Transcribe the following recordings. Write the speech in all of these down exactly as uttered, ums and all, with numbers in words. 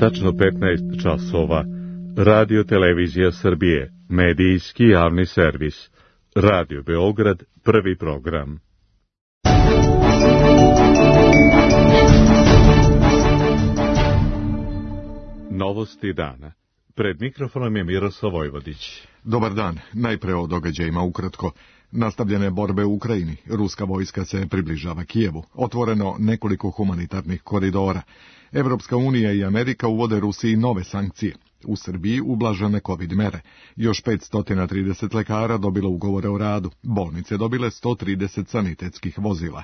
tačno petnaest časova. Radio Televizija Srbije, medijski javni servis. Radio Beograd, prvi program. Novosti dana. Pred mikrofonom je Miroslav Vojvodić. Dobar dan. Najpre o događajima ukratko. Nastavljene borbe u Ukrajini. Ruska vojska se približava Kijevu. Otvoreno nekoliko humanitarnih koridora. Evropska unija i Amerika uvode Rusiji nove sankcije. U Srbiji ublažene COVID mere. Još petsto trideset lekara dobilo ugovore o radu. Bolnice dobile sto trideset sanitetskih vozila.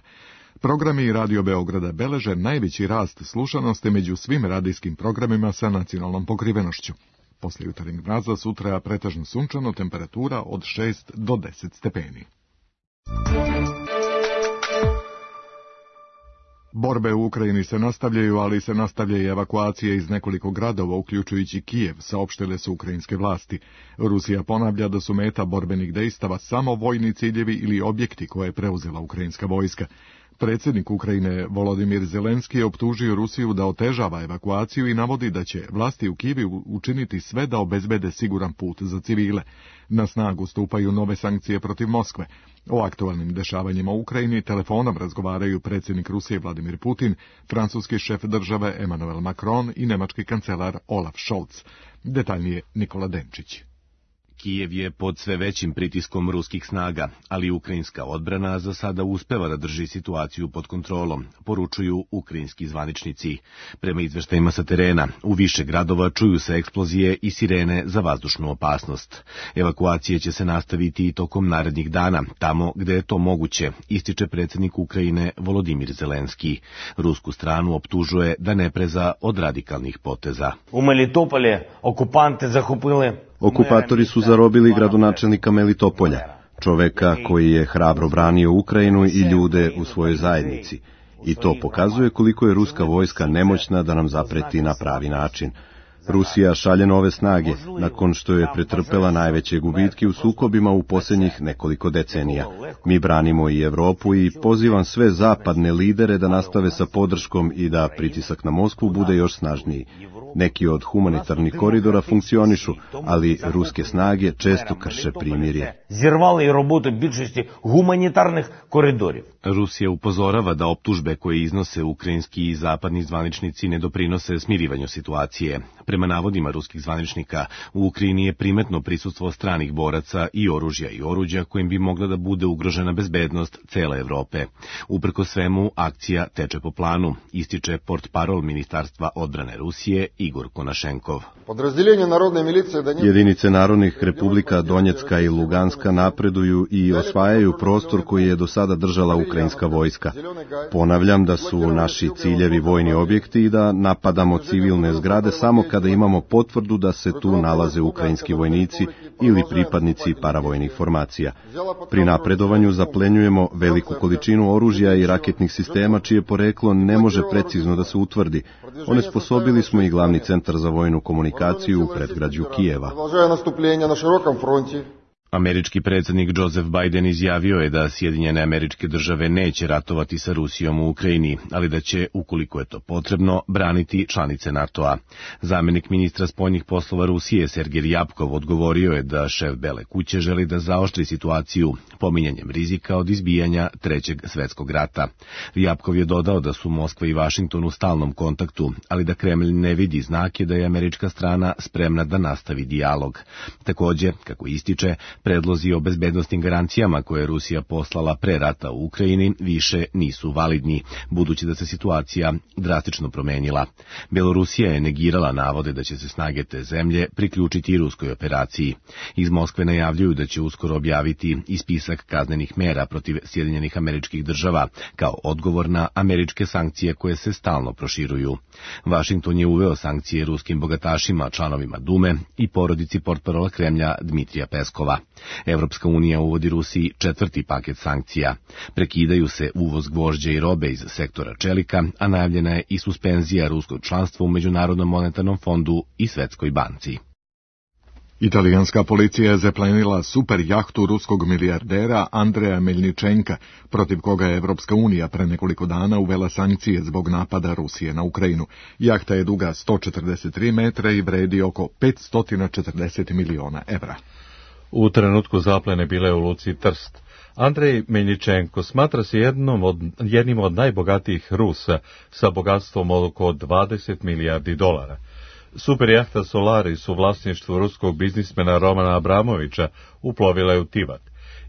Programi Radio Beograda beleže najveći rast slušanosti među svim radijskim programima sa nacionalnom pokrivenošću. Posle jutarnjeg mraza sutra pretežno sunčano, temperatura od šest do deset stepeni. Borbe u Ukrajini se nastavljaju, ali se nastavlja i evakuacija iz nekoliko gradova, uključujući Kijev, saopštile su ukrajinske vlasti. Rusija ponavlja da su meta borbenih dejstava samo vojni ciljevi ili objekti koje je preuzela ukrajinska vojska. Predsjednik Ukrajine Volodimir Zelenski je optužio Rusiju da otežava evakuaciju i navodi da će vlasti u Kijevu učiniti sve da obezbede siguran put za civile. Na snagu stupaju nove sankcije protiv Moskve. O aktualnim dešavanjima u Ukrajini telefonom razgovaraju predsjednik Rusije Vladimir Putin, francuski šef države Emmanuel Macron i nemački kancelar Olaf Scholz. Detaljnije Nikola Denčić. Kijev je pod sve većim pritiskom ruskih snaga, ali ukrajinska odbrana za sada uspeva da drži situaciju pod kontrolom, poručuju ukrajinski zvaničnici. Prema izveštajima sa terena, u više gradova čuju se eksplozije i sirene za vazdušnu opasnost. Evakuacije će se nastaviti i tokom narednih dana, tamo gde je to moguće, ističe predsjednik Ukrajine Volodimir Zelenski. Rusku stranu optužuje da ne preza od radikalnih poteza. U Melitopolju okupante zahopili Okupatori su zarobili gradonačelnika Melitopolja, čoveka koji je hrabro branio Ukrajinu i ljude u svojoj zajednici. I to pokazuje koliko je ruska vojska nemoćna da nam zapreti na pravi način. Rusija šalje nove snage, nakon što je pretrpela najveće gubitke u sukobima u posljednjih nekoliko decenija. Mi branimo i Evropu i pozivam sve zapadne lidere da nastave sa podrškom i da pritisak na Moskvu bude još snažniji. Neki od humanitarnih koridora funkcionišu, ali ruske snage često krše primirje. Zirvali i robotu bičnosti humanitarnih koridorів. Rusija upozorava da optužbe koje iznose ukrajinski i zapadni zvaničnici ne doprinose smirivanju situacije. Prema navodima ruskih zvaničnika, u Ukrajini je primetno prisustvo stranih boraca i oružja i oruđa kojim bi mogla da bude ugrožena bezbednost cele Evrope. Uprko svemu, akcija teče po planu, ističe portparol Ministarstva odbrane Rusije Igor Konašenkov. Jedinice narodnih republika Donjecka i Luganska napreduju i osvajaju prostor koji je do sada držala ukrajinska vojska. Ponavljam da su naši ciljevi vojni objekti i da napadamo civilne zgrade samo kada imamo potvrdu da se tu nalaze ukrajinski vojnici ili pripadnici paravojnih formacija. Pri napredovanju zaplenjujemo veliku količinu oružja i raketnih sistema čije poreklo ne može precizno da se utvrdi. Onesposobili smo i glavni centar za vojnu komunikaciju u predgrađu Kijeva. Američki predsjednik Joseph Biden izjavio je da Sjedinjene Američke Države neće ratovati sa Rusijom u Ukrajini, ali da će, ukoliko je to potrebno, braniti članice NATO-a. Zamjenik ministra spoljnih poslova Rusije Sergej Ryabkov odgovorio je da šef Bele kuće želi da zaoštri situaciju pominjanjem rizika od izbijanja Trećeg svjetskog rata. Ryabkov je dodao da su Moskva i Vašington u stalnom kontaktu, ali da Kremlj ne vidi znake da je američka strana spremna da nastavi dijalog. Također, kako ističe, predlozi o bezbednostnim garancijama koje je Rusija poslala pre rata u Ukrajini više nisu validni, budući da se situacija drastično promenila. Belorusija je negirala navode da će se snage te zemlje priključiti ruskoj operaciji. Iz Moskve najavljuju da će uskoro objaviti i spisak kaznenih mera protiv Sjedinjenih Američkih Država, kao odgovor na američke sankcije koje se stalno proširuju. Vašington je uveo sankcije ruskim bogatašima, članovima Dume i porodici portparola Kremlja Dmitrija Peskova. Evropska unija uvodi Rusiji četvrti paket sankcija. Prekidaju se uvoz gvožđa i robe iz sektora čelika, a najavljena je i suspenzija ruskog članstva u Međunarodnom monetarnom fondu i Svetskoj banci. Italijanska policija je zaplenila super jahtu ruskog milijardera Andreja Meljničenka, protiv koga je Evropska unija pre nekoliko dana uvela sankcije zbog napada Rusije na Ukrajinu. Jahta je duga sto četrdeset tri metra i vredi oko petsto četrdeset miliona evra. U trenutku zaplene bila je u luci Trst. Andrej Meljničenko smatra se jednom od, jednim od najbogatijih Rusa sa bogatstvom od oko dvadeset milijardi dolara. Super jahta Solaris u vlasništvu ruskog biznismena Romana Abramovića uplovila je u Tivat.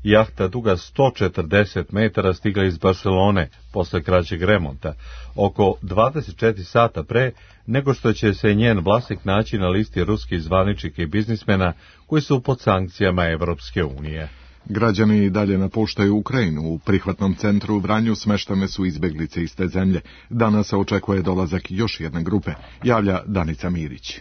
Jahta duga sto četrdeset metara stigla iz Barcelone posle kraćeg remonta, oko dvadeset četiri sata pre nego što će se njen vlasnik naći na listi ruskih zvaničnika i biznismena koji su pod sankcijama Evropske unije. Građani i dalje napuštaju Ukrajinu. U prihvatnom centru u Vranju smeštane su izbeglice iz te zemlje. Danas se očekuje dolazak još jedne grupe, javlja Danica Mirić.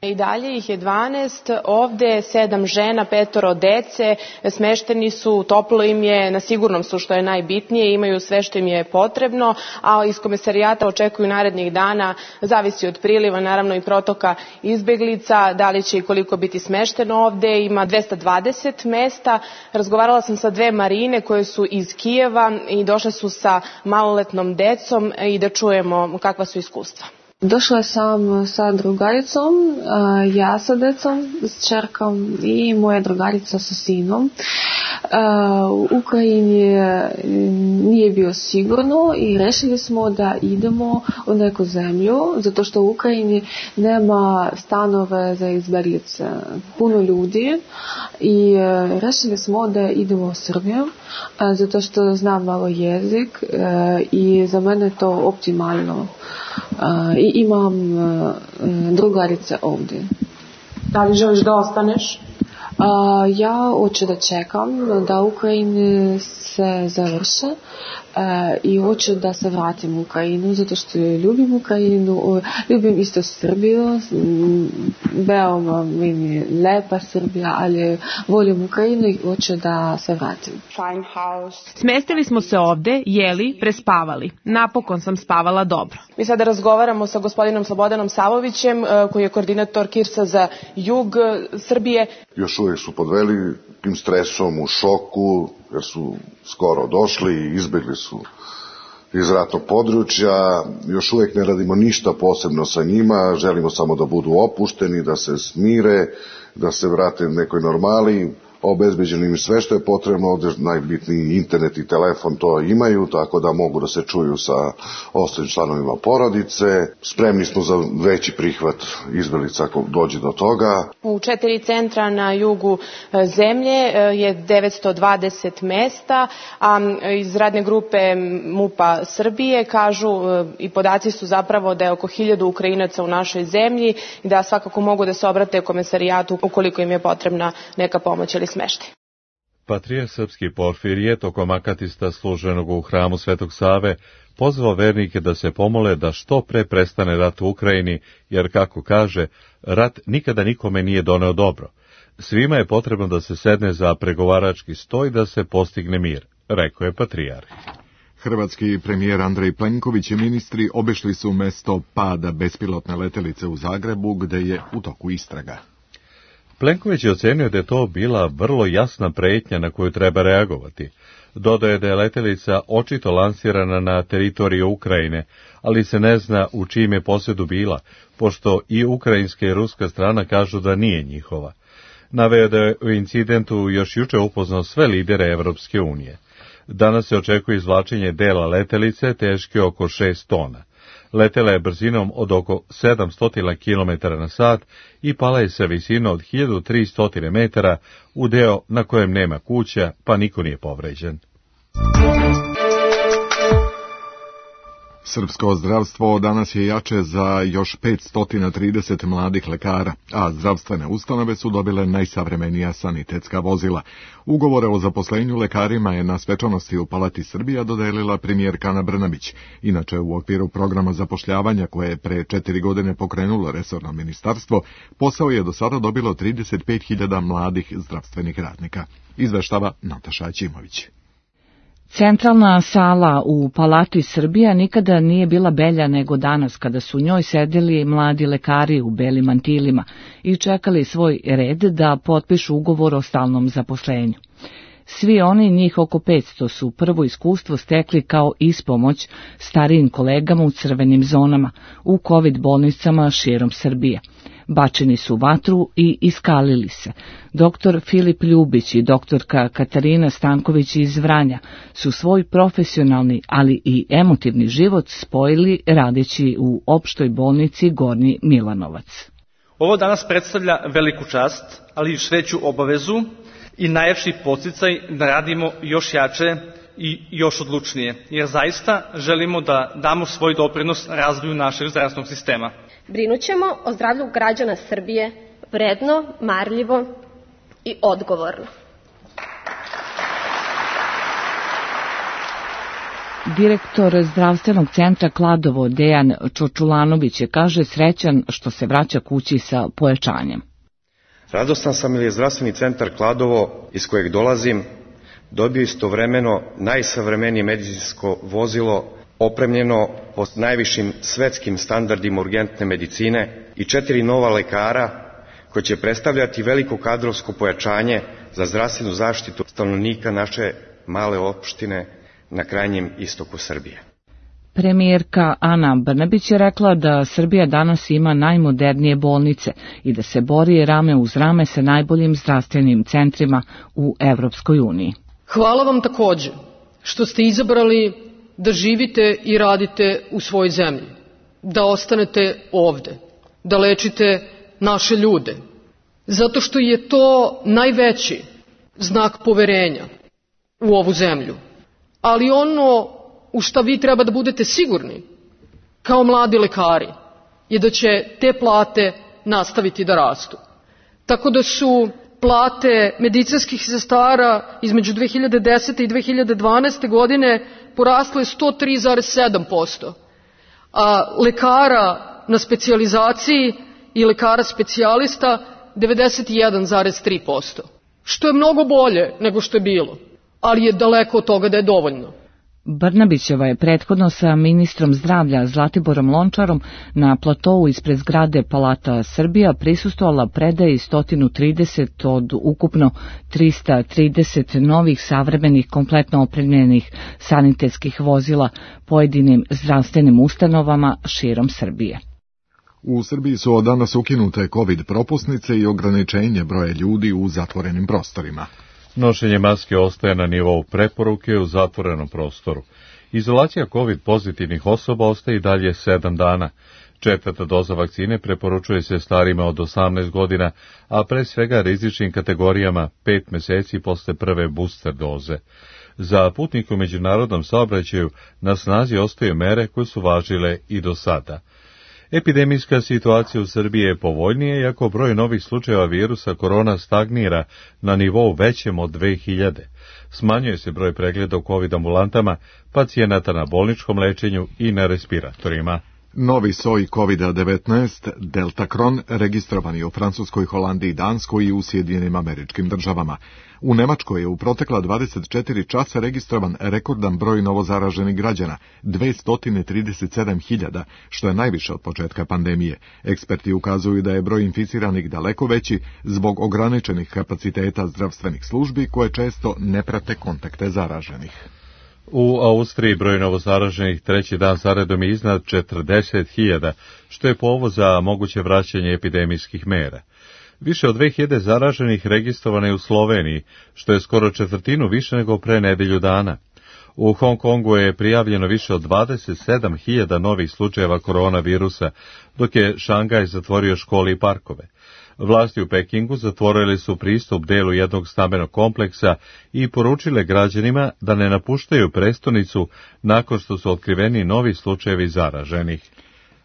I dalje ih je dvanaest, ovde sedam žena, petoro dece, smešteni su, toplo im je, na sigurnom su što je najbitnije, imaju sve što im je potrebno, a iz komesarijata očekuju narednih dana, zavisi od priliva, naravno i protoka izbeglica, da li će i koliko biti smešteno ovde, ima dvesta dvadeset mesta. Razgovarala sam sa dve Marine koje su iz Kijeva i došle su sa maloletnom decom i da čujemo kakva su iskustva. Došla sam sa drugaricom, ja sa decom, s čerkom i moja drugarica sa sinom. U Ukrajini nije bilo sigurno i rešili smo da idemo u neku zemlju, zato što u Ukrajini nema stanove za izbeglice, puno ljudi, i rešili smo da idemo u Srbiju, zato što znam malo jezik i za mene je to optimalno. I imam drugarice ovdje. Da li želiš da ostaneš? Uh, ja hoću da čekam da Ukrajina se završe uh, i hoću da se vratim u Ukrajinu zato što ljubim Ukrajinu, ljubim isto Srbiju, veoma mi je lepa Srbija, ali volim Ukrajinu i hoću da se vratim. Smestili smo se ovde, jeli, prespavali. Napokon sam spavala dobro. Mi sada razgovaramo sa gospodinom Slobodanom Savovićem, uh, koji je koordinator KIRS-a za jug Srbije. Još uvijek su pod velikim stresom, u šoku, jer su skoro došli i izbjegli su iz ratnog područja. Još uvijek ne radimo ništa posebno sa njima, želimo samo da budu opušteni, da se smire, da se vrate nekoj normali. Obezbeđeno im sve što je potrebno, ovdje najbitniji internet i telefon to imaju, tako da mogu da se čuju sa ostalim članovima porodice. Spremni smo za veći prihvat izbeglica ako dođe do toga. U četiri centra na jugu zemlje je devetsto dvadeset mesta, a iz radne grupe MUP-a Srbije kažu i podaci su zapravo da je oko hiljadu Ukrajinaca u našoj zemlji i da svakako mogu da se obrate komesarijatu ukoliko im je potrebna neka pomoć ili smeštaj. Patrijarh srpski Porfirije tokom akatista služenog u hramu Svetog Save pozvao vernike da se pomole da što pre prestane rat u Ukrajini, jer, kako kaže, rat nikada nikome nije doneo dobro. Svima je potrebno da se sedne za pregovarački sto i da se postigne mir, rekao je patrijarh. Hrvatski premijer Andrej Plenković i ministri obišli su mesto pada bespilotne letelice u Zagrebu, gde je u toku istraga. Plenković je ocenio da je to bila vrlo jasna pretnja na koju treba reagovati. Dodao je da je letelica očito lansirana na teritoriju Ukrajine, ali se ne zna u čijem je posjedu bila, pošto i ukrajinska i ruska strana kažu da nije njihova. Naveo da je u incidentu još juče upoznao sve lidere Evropske unije. Danas se očekuje izvlačenje dela letelice teške oko šest tona. Letela je brzinom od oko sedamsto kilometara na sat i pala je sa visinom od hiljadu tristo metara u deo na kojem nema kuća, pa niko nije povređen. Srpsko zdravstvo danas je jače za još petsto trideset mladih lekara, a zdravstvene ustanove su dobile najsavremenija sanitetska vozila. Ugovore o zaposlenju lekarima je na svečanosti u Palati Srbija dodelila premijerka Ana Brnabić. Inače, u okviru programa zapošljavanja koje je pre četiri godine pokrenulo resorno ministarstvo, posao je do sada dobilo trideset pet hiljada mladih zdravstvenih radnika. Izveštava Nataša Ćimović. Centralna sala u Palati Srbija nikada nije bila belja nego danas, kada su u njoj sedeli mladi lekari u belim mantilima i čekali svoj red da potpišu ugovor o stalnom zaposlenju. Svi oni, njih oko petsto, su prvo iskustvo stekli kao ispomoć starijim kolegama u crvenim zonama, u COVID bolnicama širom Srbije. Bačeni su u vatru i iskalili se. Doktor Filip Ljubić i doktorka Katarina Stanković iz Vranja su svoj profesionalni, ali i emotivni život spojili radeći u opštoj bolnici Gornji Milanovac. Ovo danas predstavlja veliku čast, ali i veću obavezu i najjači podsticaj da radimo još jače i još odlučnije, jer zaista želimo da damo svoj doprinos razvoju našeg zdravstvenog sistema. Brinućemo o zdravlju građana Srbije vredno, marljivo i odgovorno. Direktor zdravstvenog centra Kladovo Dejan Čočulanović je, kaže, srećan što se vraća kući sa pojačanjem. Radostan sam jer je zdravstveni centar Kladovo, iz kojeg dolazim, dobio istovremeno najsavremenije medicinsko vozilo opremljeno po najvišim svetskim standardima urgentne medicine i četiri nova lekara koji će predstavljati veliko kadrovsko pojačanje za zdravstvenu zaštitu stanovnika naše male opštine na krajnjem istoku Srbije. Premijerka Ana Brnabić je rekla da Srbija danas ima najmodernije bolnice i da se bori rame uz rame sa najboljim zdravstvenim centrima u Evropskoj uniji. Hvala vam takođe što ste izabrali da živite i radite u svojoj zemlji, da ostanete ovde, da lečite naše ljude, zato što je to najveći znak poverenja u ovu zemlju. Ali ono u šta vi treba da budete sigurni, kao mladi lekari, je da će te plate nastaviti da rastu. Tako da su plate medicinskih sestara između dve hiljade desete i dve hiljade dvanaeste. godine porasle sto tri zarez sedam posto, a lekara na specijalizaciji i lekara specijalista devedeset jedan zarez tri posto, što je mnogo bolje nego što je bilo, ali je daleko od toga da je dovoljno. Brnabićeva je prethodno sa ministrom zdravlja Zlatiborom Lončarom na platovu ispred zgrade Palata Srbija prisustvovala predaji sto trideset od ukupno trista trideset novih savremenih kompletno opremljenih sanitetskih vozila pojedinim zdravstvenim ustanovama širom Srbije. U Srbiji su od danas ukinute COVID propusnice i ograničenje broja ljudi u zatvorenim prostorima. Nošenje maske ostaje na nivou preporuke u zatvorenom prostoru. Izolacija COVID pozitivnih osoba ostaje i dalje sedam dana. Četvrta doza vakcine preporučuje se starima od osamnaest godina, a pre svega rizičnim kategorijama pet meseci posle prve booster doze. Za putnike u međunarodnom saobraćaju na snazi ostaju mere koje su važile i do sada. Epidemijska situacija u Srbiji je povoljnija, iako broj novih slučajeva virusa korona stagnira na nivou većem od dve hiljade. Smanjuje se broj pregleda u COVID ambulantama, pacijenata na bolničkom lečenju i na respiratorima. Novi soj COVID devetnaest, Deltakron, registrovan je u Francuskoj, Holandiji, Danskoj i u Sjedinjenim Američkim Državama. U Nemačkoj je u protekla dvadeset četiri časa registrovan rekordan broj novozaraženih građana, dvesta trideset sedam hiljada, što je najviše od početka pandemije. Eksperti ukazuju da je broj inficiranih daleko veći zbog ograničenih kapaciteta zdravstvenih službi koje često ne prate kontakte zaraženih. U Austriji broj novozaraženih treći dan zaredom je iznad četrdeset hiljada, što je povod za moguće vraćanje epidemijskih mera. Više od dve hiljade zaraženih registrovane je u Sloveniji, što je skoro četvrtinu više nego pre nedelju dana. U Hong Kongu je prijavljeno više od dvadeset sedam hiljada novih slučajeva koronavirusa, dok je Šangaj zatvorio škole i parkove. Vlasti u Pekingu zatvorili su pristup delu jednog stambenog kompleksa i poručile građanima da ne napuštaju prestonicu nakon što su otkriveni novi slučajevi zaraženih.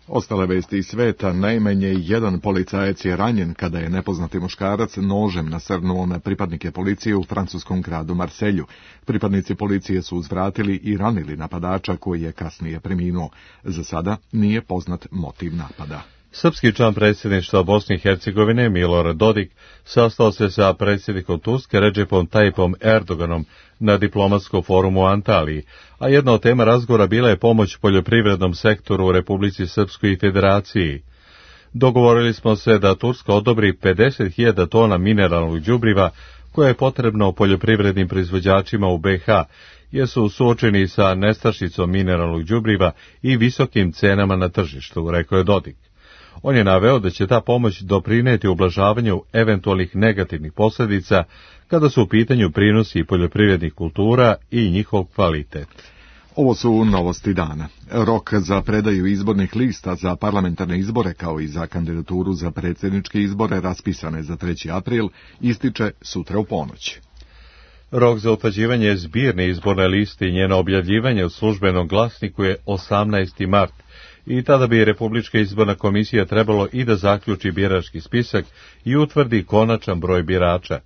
Ostale vesti iz sveta, najmanje jedan policajac je ranjen kada je nepoznati muškarac nožem nasrnuo na pripadnike policije u francuskom gradu Marselju. Pripadnici policije su uzvratili i ranili napadača koji je kasnije preminuo. Za sada nije poznat motiv napada. Srpski član predsjedništva Bosne i Hercegovine Milorad Dodik sastao se sa predsjednikom Turske Recepom Tayyipom Erdoganom na diplomatskom forumu u Antaliji, a jedna od tema razgovora bila je pomoć poljoprivrednom sektoru u Republici Srpskoj i Federaciji. Dogovorili smo se da Turska odobri pedeset hiljada tona mineralnog đubriva koje je potrebno poljoprivrednim proizvođačima u B iH, jer su suočeni sa nestašicom mineralnog đubriva i visokim cenama na tržištu, rekao je Dodik. On je naveo da će ta pomoć doprineti ublažavanju eventualnih negativnih posljedica kada su u pitanju prinosi poljoprivrednih kultura i njihov kvalitet. Ovo su novosti dana. Rok za predaju izbornih lista za parlamentarne izbore kao i za kandidaturu za predsjedničke izbore raspisane za treći april ističe sutra u ponoć. Rok za utvrđivanje zbirne izborne liste i njeno objavljivanje u službenom glasniku je osamnaesti mart i tada bi Republička izborna komisija trebalo i da zaključi birački spisak i utvrdi konačan broj birača.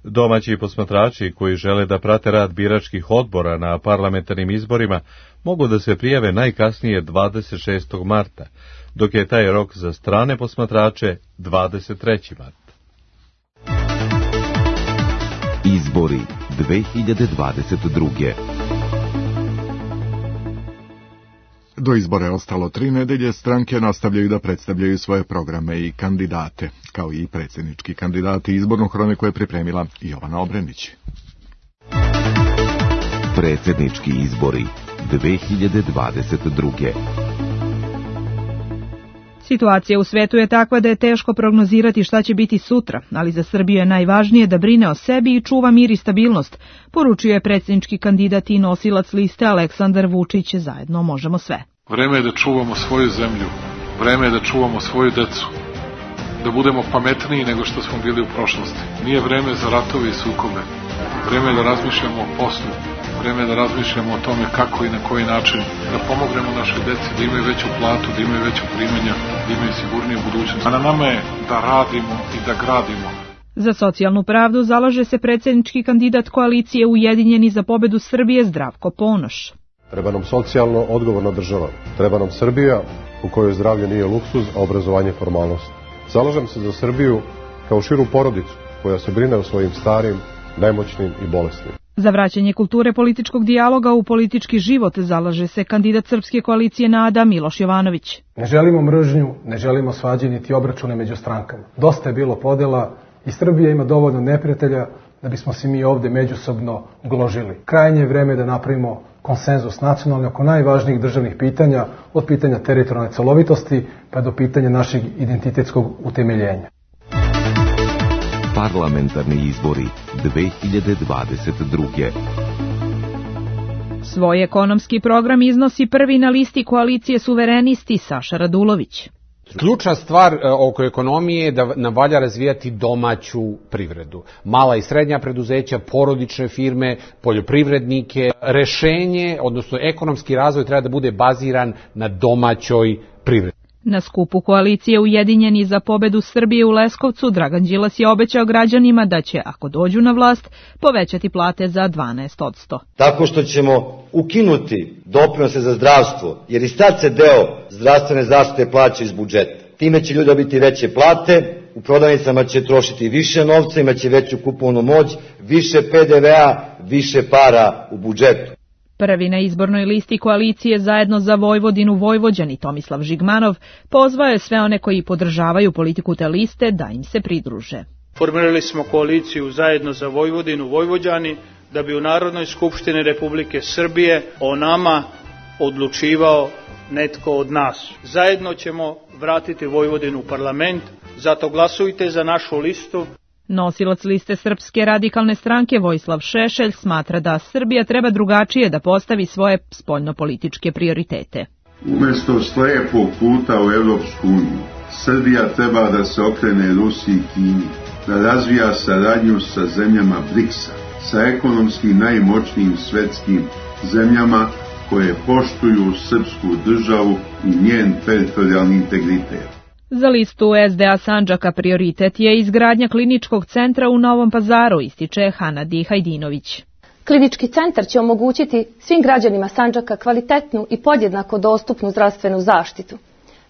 Domaći posmatrači koji žele da prate rad biračkih odbora na parlamentarnim izborima mogu da se prijave najkasnije dvadeset šestog marta, dok je taj rok za strane posmatrače dvadeset treći mart. Izbori dve hiljade dvadeset druge. Do izbora je ostalo tri nedelje, stranke nastavljaju da predstavljaju svoje programe i kandidate, kao i predsjednički kandidati. Izbornu hroniku je pripremila Jovana Obrenić. Predsjednički izbori dve hiljade dvadeset druge. Situacija u svetu je takva da je teško prognozirati šta će biti sutra, ali za Srbiju je najvažnije da brine o sebi i čuva mir i stabilnost, poručio je predsjednički kandidat i nosilac liste Aleksandar Vučić. Zajedno možemo sve. Vreme je da čuvamo svoju zemlju, vreme je da čuvamo svoju decu, da budemo pametniji nego što smo bili u prošlosti. Nije vreme za ratove i sukobe, vreme je da razmišljamo o poslu, vreme je da razmišljamo o tome kako i na koji način da pomognemo našoj deci da imaju veću platu, da imaju veću primanja, da imaju sigurniju budućnost. A na nama je da radimo i da gradimo. Za socijalnu pravdu zalaže se predsjednički kandidat koalicije Ujedinjeni za pobedu Srbije Zdravko Ponoš. Treba nam socijalno odgovorna država. Treba nam Srbija u kojoj zdravlje nije luksuz, a obrazovanje formalnost. Zalažem se za Srbiju kao širu porodicu koja se brine o svojim starim, nemoćnim i bolesnim. Za vraćanje kulture političkog dijaloga u politički život zalaže se kandidat Srpske koalicije NADA Miloš Jovanović. Ne želimo mržnju, ne želimo svađe niti obračune među strankama. Dosta je bilo podela i Srbija ima dovoljno neprijatelja da bismo se mi ovde međusobno gložili. Krajnje je vreme da napravimo konsenzus nacionalni oko najvažnijih državnih pitanja, od pitanja teritorijalne celovitosti pa do pitanja našeg identitetskog utemeljenja. Parlamentarni izbori dve hiljade dvadeset druge. Svoj ekonomski program iznosi prvi na listi koalicije Suverenisti Saša Radulović. Ključna stvar oko ekonomije je da nam valja razvijati domaću privredu. Mala i srednja preduzeća, porodične firme, poljoprivrednike. Rešenje, odnosno ekonomski razvoj treba da bude baziran na domaćoj privredi. Na skupu koalicije Ujedinjeni za pobedu Srbije u Leskovcu Dragan Đilas je obećao građanima da će, ako dođu na vlast, povećati plate za dvanaest posto. Tako što ćemo ukinuti doprinose za zdravstvo, jer i sad se deo zdravstvene zaštite plaća iz budžeta. Time će ljudi dobiti veće plate, u prodavnicama će trošiti više novca, imaće veću kupovnu moć, više P D V A, više para u budžetu. Prvi na izbornoj listi koalicije Zajedno za Vojvodinu Vojvođani Tomislav Žigmanov pozvao je sve one koji podržavaju politiku te liste da im se pridruže. Formirali smo koaliciju Zajedno za Vojvodinu Vojvođani da bi u Narodnoj skupštini Republike Srbije o nama odlučivao netko od nas. Zajedno ćemo vratiti Vojvodinu u parlament, zato glasujte za našu listu. Nosilac liste Srpske radikalne stranke Vojislav Šešelj smatra da Srbija treba drugačije da postavi svoje spoljnopolitičke prioritete. Umesto slijepog puta u Evropsku uniju, Srbija treba da se okrene Rusiji i Kini, da razvija saradnju sa zemljama briksa, sa ekonomski najmoćnijim svetskim zemljama koje poštuju srpsku državu i njen teritorijalni integritet. Za listu S D A Sandžaka prioritet je izgradnja kliničkog centra u Novom Pazaru, ističe Hanadi Hajdinović. Klinički centar će omogućiti svim građanima Sandžaka kvalitetnu i podjednako dostupnu zdravstvenu zaštitu.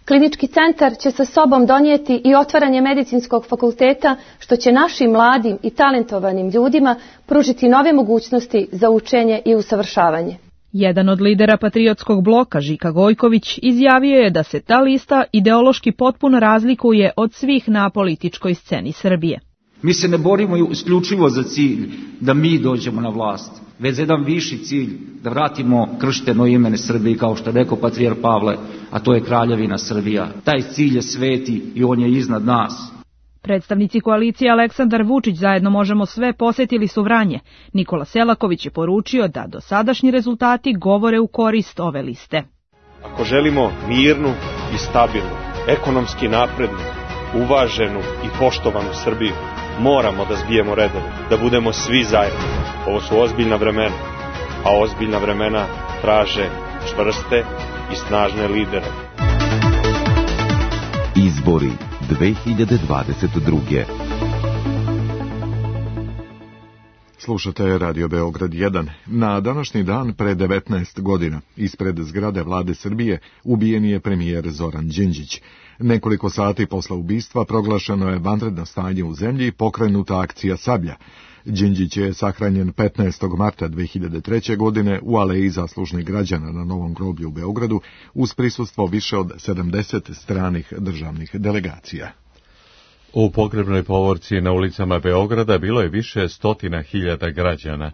Klinički centar će sa sobom donijeti i otvaranje medicinskog fakulteta, što će našim mladim i talentovanim ljudima pružiti nove mogućnosti za učenje i usavršavanje. Jedan od lidera patriotskog bloka, Žika Gojković, izjavio je da se ta lista ideološki potpuno razlikuje od svih na političkoj sceni Srbije. Mi se ne borimo isključivo za cilj da mi dođemo na vlast, već za jedan viši cilj da vratimo kršteno ime Srbiji, kao što je rekao patrijar Pavle, a to je kraljevina Srbija. Taj cilj je sveti i on je iznad nas. Predstavnici koalicije Aleksandar Vučić zajedno možemo sve posetili su Vranje. Nikola Selaković je poručio da dosadašnji rezultati govore u korist ove liste. Ako želimo mirnu i stabilnu, ekonomski naprednu, uvaženu i poštovanu Srbiju, moramo da zbijemo redove, da budemo svi zajedno. Ovo su ozbiljna vremena, a ozbiljna vremena traže čvrste i snažne lidere. Izbori dve hiljade dvadeset druge. Slušate Radio Beograd jedan. Na današnji dan pre devetnaest godina ispred zgrade Vlade Srbije ubijen je premijer Zoran Đinđić. Nekoliko sati posle ubistva proglašeno je vanredno stanje u zemlji i pokrenuta akcija Sablja. Đinđić je sahranjen petnaestog marta dve hiljade treće. godine u Aleji zaslužnih građana na Novom groblju u Beogradu uz prisustvo više od sedamdeset stranih državnih delegacija. U pogrebnoj povorci na ulicama Beograda bilo je više stotina hiljada građana.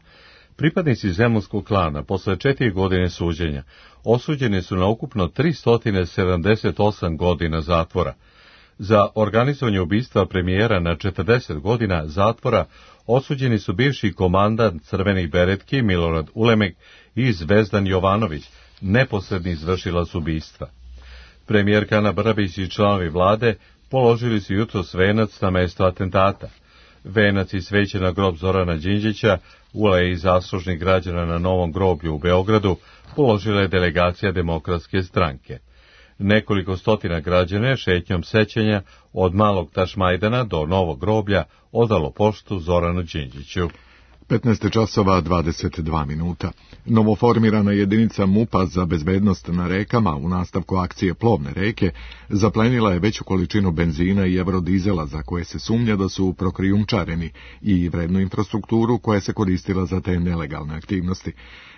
Pripadnici zemunskog klana posle četiri godine suđenja osuđeni su na ukupno tristo sedamdeset osam godina zatvora. Za organizovanje ubistva premijera na četrdeset godina zatvora osuđeni su bivši komandant Crvenih beretki Milorad Ulemek i Zvezdan Jovanović, neposredni izvršilac ubistva. Premijerka Ana Brnabić i članovi vlade položili su jutros venac na mesto atentata. Venac i sveće na grob Zorana Đinđića u Aleji zaslužnih građana na Novom groblju u Beogradu položila je delegacija Demokratske stranke. Nekoliko stotina građana je šetnjom sećanja od Malog Tašmajdana do Novog groblja odalo poštu Zoranu Đinđiću. petnaest časova dvadeset dva minuta. Novoformirana jedinica MUP-a za bezbednost na rekama u nastavku akcije Plovne reke zaplenila je veću količinu benzina i eurodizela za koje se sumnja da su prokrijumčareni i vrednu infrastrukturu koja se koristila za te nelegalne aktivnosti.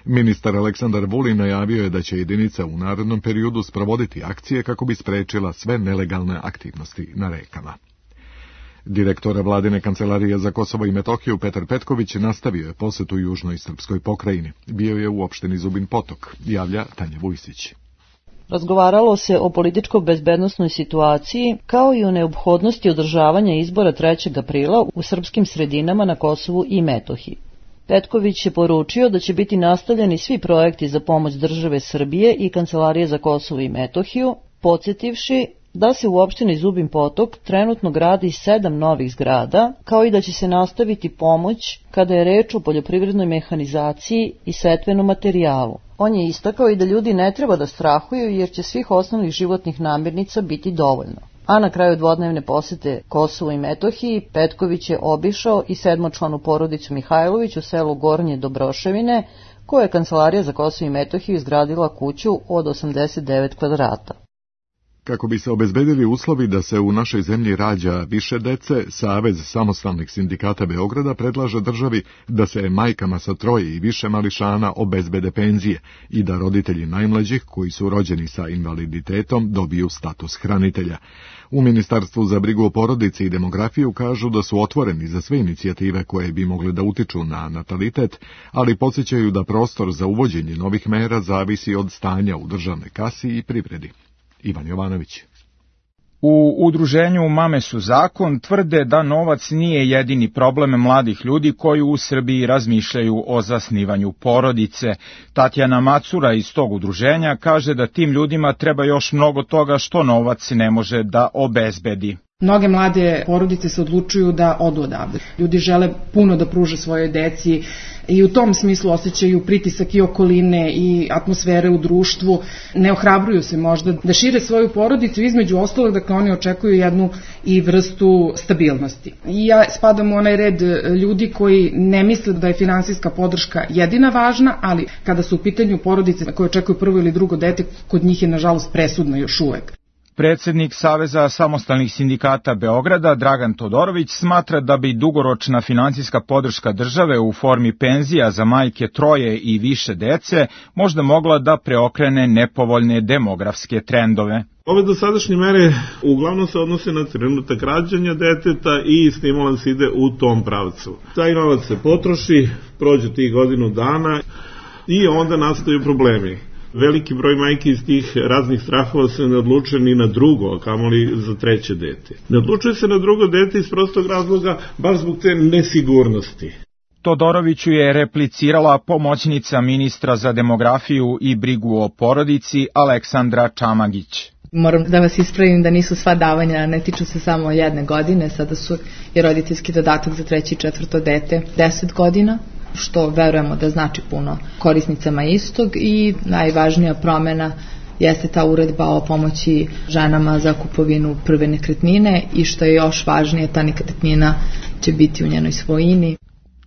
Ministar Aleksandar Vulin najavio je da će jedinica u narednom periodu sprovoditi akcije kako bi sprečila sve nelegalne aktivnosti na rekama. Direktor Vladine kancelarije za Kosovo i Metohiju Petar Petković nastavio je posetu južnoj srpskoj pokrajini. Bio je u opštini Zubin Potok, javlja Tanja Vujsić. Razgovaralo se o političko-bezbednosnoj situaciji, kao i o neophodnosti održavanja izbora trećeg aprila u srpskim sredinama na Kosovu i Metohiji. Petković je poručio da će biti nastavljeni svi projekti za pomoć države Srbije i Kancelarije za Kosovo i Metohiju, podsjetivši da se u opštini Zubin Potok trenutno gradi sedam novih zgrada, kao i da će se nastaviti pomoć kada je reč o poljoprivrednoj mehanizaciji i setvenom materijalu. On je istakao i da ljudi ne treba da strahuju jer će svih osnovnih životnih namirnica biti dovoljno. A na kraju dvodnevne posete Kosovu i Metohiji Petković je obišao i sedmočlanu porodicu Mihajlović u selu Gornje Dobroševine, koja je Kancelarija za Kosovo i Metohiju izgradila kuću od osamdeset devet kvadrata. Kako bi se obezbedili uslovi da se u našoj zemlji rađa više dece, Savez samostalnih sindikata Beograda predlaže državi da se majkama sa troje i više mališana obezbede penzije i da roditelji najmlađih koji su rođeni sa invaliditetom dobiju status hranitelja. U Ministarstvu za brigu o porodici i demografiju kažu da su otvoreni za sve inicijative koje bi mogle da utiču na natalitet, ali podsjećaju da prostor za uvođenje novih mera zavisi od stanja u državnoj kasi i privredi. Ivan Jovanović. U udruženju Mame su zakon tvrde da novac nije jedini problem mladih ljudi koji u Srbiji razmišljaju o zasnivanju porodice. Tatjana Macura iz tog udruženja kaže da tim ljudima treba još mnogo toga što novac ne može da obezbedi. Mnoge mlade porodice se odlučuju da odu odavde. Ljudi žele puno da pruže svojoj deci i u tom smislu osjećaju pritisak i okoline i atmosfere u društvu. Ne ohrabruju se možda da šire svoju porodicu, između ostalog, dakle oni očekuju jednu i vrstu stabilnosti. I ja spadam u onaj red ljudi koji ne misle da je finansijska podrška jedina važna, ali kada su u pitanju porodice koje očekuju prvo ili drugo dete, kod njih je nažalost presudno još uvek. Predsednik Saveza samostalnih sindikata Beograda, Dragan Todorović, smatra da bi dugoročna finansijska podrška države u formi penzija za majke troje i više dece možda mogla da preokrene nepovoljne demografske trendove. Ove dosadašnje mere uglavnom se odnose na trenutak rađanja deteta i stimulans ide u tom pravcu. Taj novac se potroši, prođe tih godinu dana i onda nastaju problemi. Veliki broj majki iz tih raznih strahova se ne odlučuje ni na drugo, a kamoli za treće dete. Ne odlučuje se na drugo dete iz prostog razloga, baš zbog te nesigurnosti. Todoroviću je replicirala pomoćnica ministra za demografiju i brigu o porodici Aleksandra Čamagić. Moram da vas ispravim da nisu sva davanja, ne tiču se samo jedne godine, sada su i roditeljski dodatak za treće i četvrto dete deset godina, što verujemo da znači puno korisnicama istog, i najvažnija promena jeste ta uredba o pomoći ženama za kupovinu prve nekretnine i što je još važnije, ta nekretnina će biti u njenoj svojini.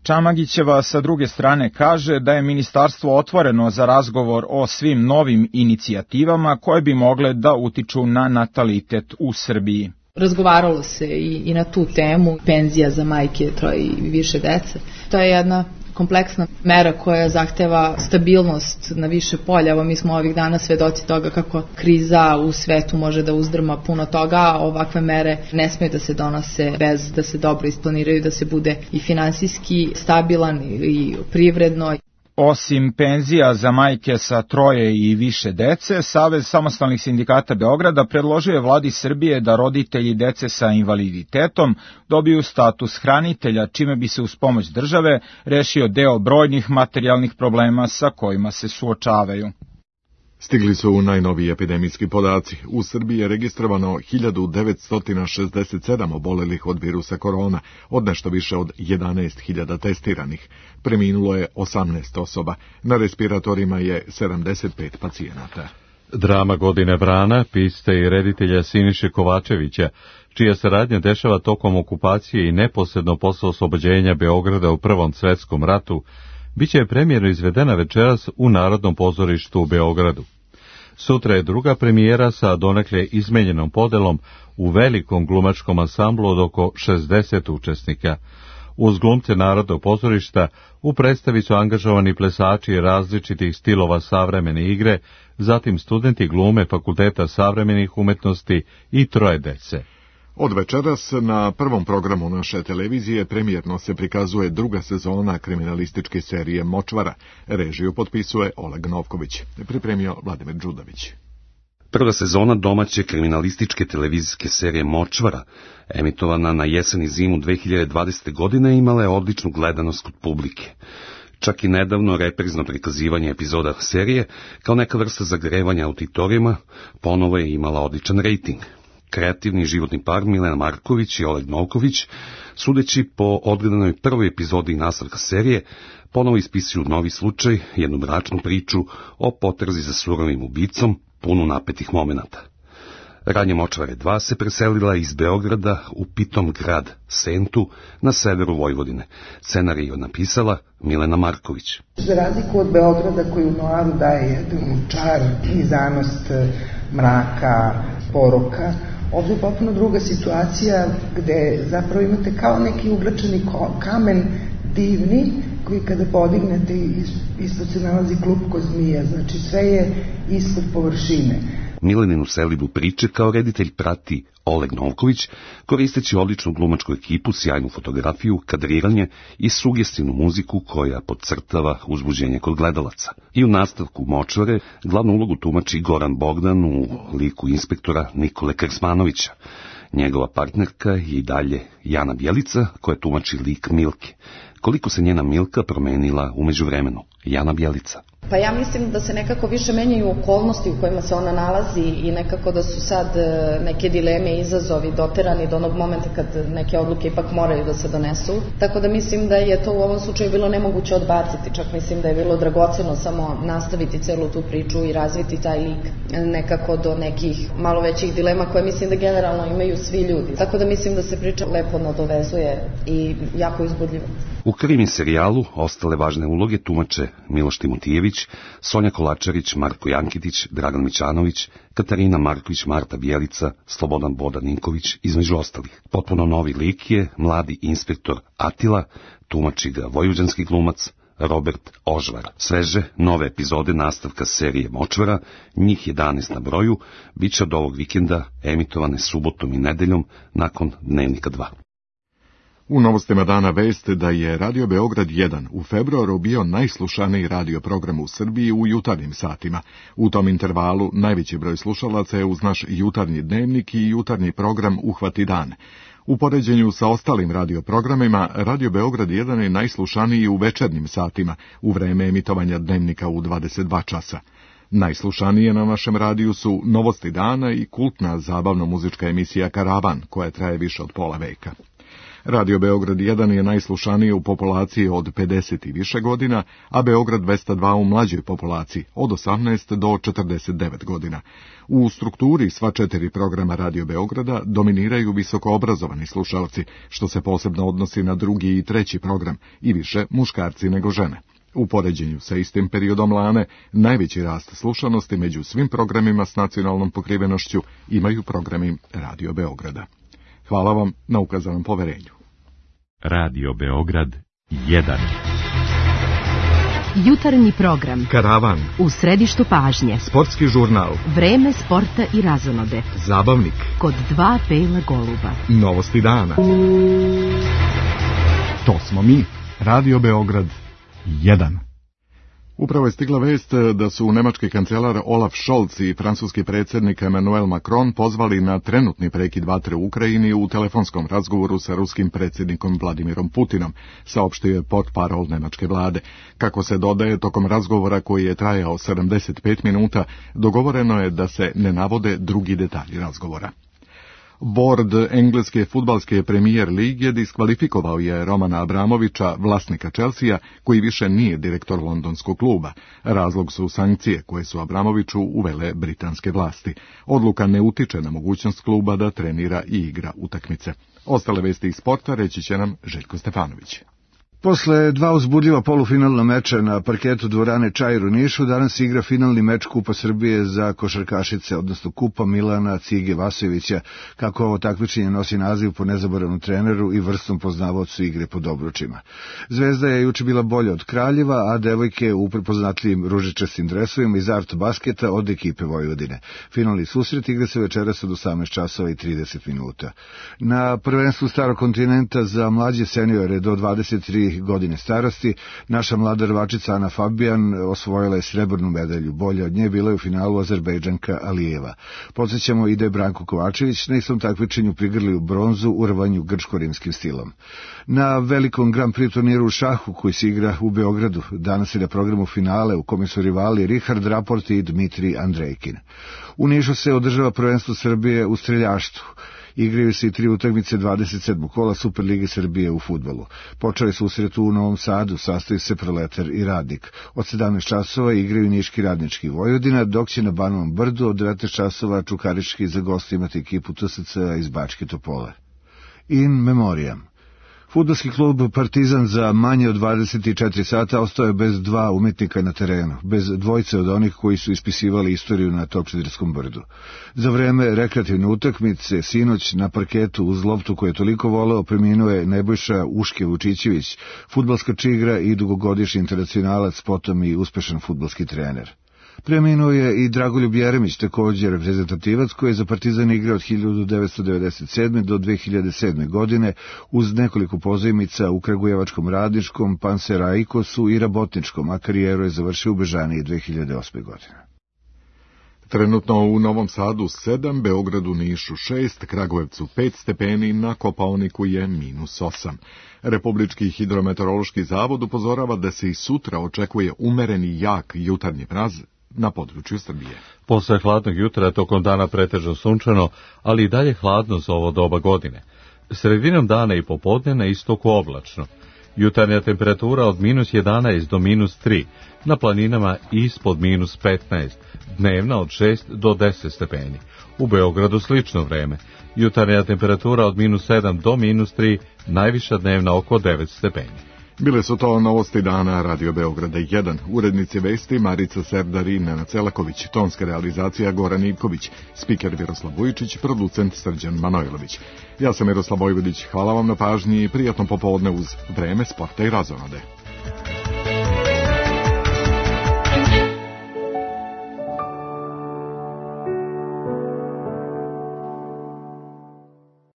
Čamagićeva sa druge strane kaže da je ministarstvo otvoreno za razgovor o svim novim inicijativama koje bi mogle da utiču na natalitet u Srbiji. Razgovaralo se i, i na tu temu, penzija za majke troje i više dece. To je jedna kompleksna mera koja zahteva stabilnost na više polja. Evo, mi smo ovih dana svedoci toga kako kriza u svetu može da uzdrma puno toga. Ovakve mere ne smiju da se donose bez da se dobro isplaniraju, da se bude i finansijski stabilan i privredno. Osim penzija za majke sa troje i više dece, Savez samostalnih sindikata Beograda predložio je vladi Srbije da roditelji dece sa invaliditetom dobiju status hranitelja, čime bi se uz pomoć države rešio deo brojnih materijalnih problema sa kojima se suočavaju. Stigli su najnoviji epidemijski podaci. U Srbiji je registrovano hiljadu devetsto šezdeset sedam obolelih od virusa korona, od nešto više od jedanaest hiljada testiranih. Preminulo je osamnaest osoba. Na respiratorima je sedamdeset pet pacijenata. Drama godine Vrana, pisca i reditelja Siniše Kovačevića, čija se radnja dešava tokom okupacije i neposredno posle oslobođenja Beograda u Prvom svetskom ratu, biće premijerno izvedena večeras u Narodnom pozorištu u Beogradu. Sutra je druga premijera sa donekle izmenjenom podelom u velikom glumačkom ansamblu od oko šezdeset učesnika. Uz glumce Narodnog pozorišta u predstavi su angažovani plesači različitih stilova savremene igre, zatim studenti glume Fakulteta savremenih umetnosti i troje dece. Od večeras na prvom programu naše televizije premijerno se prikazuje druga sezona kriminalističke serije Močvara. Režiju potpisuje Oleg Novković. Pripremio Vladimir Đudović. Prva sezona domaće kriminalističke televizijske serije Močvara, emitovana na jesen i zimu dve hiljade dvadesete. godine, imala je odličnu gledanost kod publike. Čak i nedavno reprizno prikazivanje epizoda serije, kao neka vrsta zagrevanja auditorijuma, ponovo je imala odličan rejting. Kreativni životni par Milena Marković i Oleg Novković, sudeći po odgledanoj prvoj epizodi nastavka serije, ponovo ispisuju novi slučaj, jednu mračnu priču o potrazi za surovim ubicom, punu napetih momenata. Radnja Močvare dva se preselila iz Beograda u pitom grad Sentu na severu Vojvodine. Scenarij je napisala Milena Marković. Za razliku od Beograda koji u noaru daje jedan čar i zanost mraka, poroka, ovdje je potpuno druga situacija gde zapravo imate kao neki uglačeni kamen divni koji kada podignete isto se nalazi klupko zmija, znači sve je ispod površine. Mileninu selidbu priče kao reditelj prati Oleg Novković, koristeći odličnu glumačku ekipu, sjajnu fotografiju, kadriranje i sugestivnu muziku koja podcrtava uzbuđenje kod gledalaca. I u nastavku Močvare glavnu ulogu tumači Goran Bogdan u liku inspektora Nikole Krsmanovića. Njegova partnerka je i dalje Jana Bjelica, koja tumači lik Milke. Koliko se njena Milka promenila u međuvremenu? Jana Bjelica. Pa ja mislim da se nekako više menjaju okolnosti u kojima se ona nalazi i nekako da su sad neke dileme i izazovi doterani do onog momenta kad neke odluke ipak moraju da se donesu. Tako da mislim da je to u ovom slučaju bilo nemoguće odbaciti, čak mislim da je bilo dragoceno samo nastaviti celu tu priču i razviti taj lik nekako do nekih malo većih dilema koje mislim da generalno imaju svi ljudi. Tako da mislim da se priča lepo nadovezuje i jako uzbudljivo. U krimi serijalu ostale važne uloge tumače Miloš Timotijević Đorđević, Sonja Kolačarić, Marko Jankitić, Dragan Mićanović, Katarina Marković, Marta Bjelica, Slobodan Bodan Ninković, između ostalih. Potpuno novi lik je mladi inspektor Atila, tumači ga vojvođanski glumac Robert Ožvar. Sveže, nove epizode nastavka serije Močvara, njih jedanaest na broju, bit će od ovog vikenda emitovane subotom i nedeljom nakon Dnevnika dva. U novostima dana vest da je Radio Beograd jedan u februaru bio najslušaniji radio program u Srbiji u jutarnjim satima. U tom intervalu najveći broj slušalaca je uz naš jutarnji dnevnik i jutarnji program Uhvati dan. U poređenju sa ostalim radioprogramima, Radio Beograd jedan je najslušaniji u večernjim satima, u vreme emitovanja dnevnika u dvadeset dva časa. Najslušanije na našem radiju su Novosti dana i kultna zabavno-muzička emisija Karavan, koja traje više od pola veka. Radio Beograd jedan je najslušaniji u populaciji od pedeset i više godina, a Beograd dvesta dva u mlađoj populaciji od osamnaest do četrdeset devet godina. U strukturi sva četiri programa Radio Beograda dominiraju visokoobrazovani slušalci, što se posebno odnosi na drugi i treći program, i više muškarci nego žene. U poređenju sa istim periodom lane, najveći rast slušanosti među svim programima s nacionalnom pokrivenošću imaju programi Radio Beograda. Hvala vam na ukazanom poverenju. Radio Beograd jedan. Jutarnji program. Karavan. U središtu pažnje. Sportski žurnal. Vreme sporta i razonode. Zabavnik. Kod dva bela goluba. Novosti dana. To smo mi. Radio Beograd jedan. Upravo je stigla vest da su nemački kancelar Olaf Scholz i francuski predsjednik Emmanuel Macron pozvali na trenutni prekid vatre u Ukrajini u telefonskom razgovoru sa ruskim predsjednikom Vladimirom Putinom, saopštio je portparol nemačke vlade. Kako se dodaje, tokom razgovora koji je trajao sedamdeset pet minuta, dogovoreno je da se ne navode drugi detalji razgovora. Bord engleske fudbalske premijer lige diskvalifikovao je Romana Abramovića, vlasnika Chelsea, koji više nije direktor londonskog kluba. Razlog su sankcije koje su Abramoviću uvele britanske vlasti. Odluka ne utiče na mogućnost kluba da trenira i igra utakmice. Ostale vesti iz sporta reći će nam Željko Stefanović. Posle dva uzbudljiva polufinalna meča na parketu dvorane Čair u Nišu, danas igra finalni meč Kupa Srbije za košarkašice, odnosno Kupa Milana Cige Vasojevića, kako ovo takmičenje nosi naziv po nezaboravnom treneru i vrstom poznavaocu igre pod obručima. Zvezda je juče bila bolja od Kraljeva, a devojke u prepoznatljivim ružičastim dresovima iz Art Basketa od ekipe Vojvodine. Finalni susret igra se večeras od osamnaest časova i trideset minuta. Na prvenstvu Starog kontinenta za mlađe seniore do dvadeset tri godine starosti, naša mlada rvačica Ana Fabijan osvojila je srebrnu medalju. Bolja od nje bila je u finalu Azerbejdžanka Alijeva. Podsjećamo i da je Branko Kovačević na istom takmičenju prigrlio bronzu u rvanju grčko-rimskim stilom. Na velikom Grand Prix turniru u šahu koji se igra u Beogradu, danas je na programu finale u kome su rivali Richard Rapport i Dmitrij Andrejkin. U Nišu se održava prvenstvo Srbije u streljaštvu. Igraju se i tri utakmice dvadeset sedmog kola Superlige Srbije u fudbalu. Počeli susret u Novom Sadu, sastoji se Proletar i Radnik. Od sedamnaest časova igraju Niški Radnički Vojvodina, dok će na Banovom Brdu od devetnaest časova Čukarički za goste imati ekipu T S C iz Bačke Topole. In memoriam. Fudbalski klub Partizan za manje od dvadeset četiri sata ostao je bez dva umetnika na terenu, bez dvojce od onih koji su ispisivali istoriju na Topčiderskom brdu. Za vreme rekreativne utakmice, sinoć na parketu uz loptu koju je toliko voleo, preminuo je Nebojša Uške Vučićević, fudbalska čigra i dugogodišnji internacionalac, potom i uspešan fudbalski trener. Preminuo je i Dragoljub Jeremić, također reprezentativac koji je za Partizan igrao od hiljadu devetsto devedeset sedme do dve hiljade sedme godine uz nekoliko pozajmica u Kragujevačkom Radničkom, Panserajkosu i Rabotničkom, a karijeru je završio u Bežaniji dve hiljade osme godine. Trenutno u Novom Sadu sedam, Beogradu, Nišu šest, Kragujevcu pet stepeni, na Kopaoniku je minus osam. Republički hidrometeorološki zavod upozorava da se i sutra očekuje umereni jak jutarnji mraz na području Srbije. Posle hladnog jutra tokom dana pretežno sunčano, ali i dalje hladno za ovo doba godine. Sredinom dana i popodne na istoku oblačno. Jutarnja temperatura od minus jedanaest do minus tri, na planinama ispod minus petnaest, dnevna od šest do deset stepeni. U Beogradu slično vreme. Jutarnja temperatura od minus sedam do minus tri, najviša dnevna oko devet stepeni. Bile su to novosti dana Radio Beograda jedan. Urednici vesti Marica Serdar i Nenad Celaković, tonska realizacija Goran Ivković, spiker Miroslav Vujičić, producent Srđan Manojlović. Ja sam Miroslav Vojvodić, hvala vam na pažnji i prijatno popodne uz Vreme, sporta i razonode.